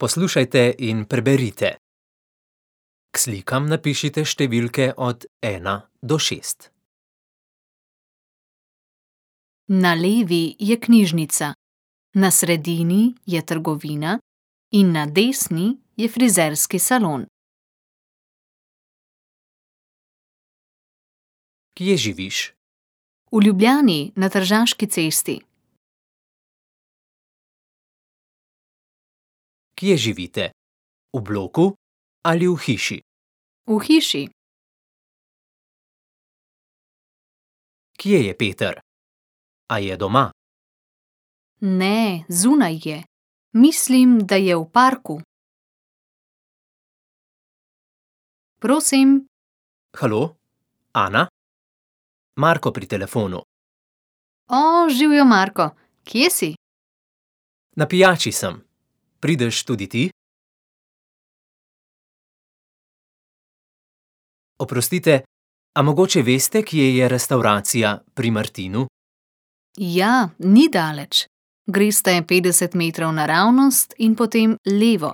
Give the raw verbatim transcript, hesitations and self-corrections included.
Poslušajte in preberite. K slikam napišite številke od ena do šest. Na levi je knjižnica, na sredini je trgovina in na desni je frizerski salon. Kje živiš? V Ljubljani na Tržaški cesti. Kje živite? V bloku ali v hiši? V hiši. Kje je Peter? A je doma? Ne, zunaj je. Mislim, da je v parku. Prosim. Halo? Ana? Marko pri telefonu. O, živjo, Marko. Kje si? Na pijači sem. Prideš tudi ti? Oprostite, a mogoče veste, kje je restavracija Pri Martinu? Ja, ni daleč. Greste petdeset metrov naravnost in potem levo.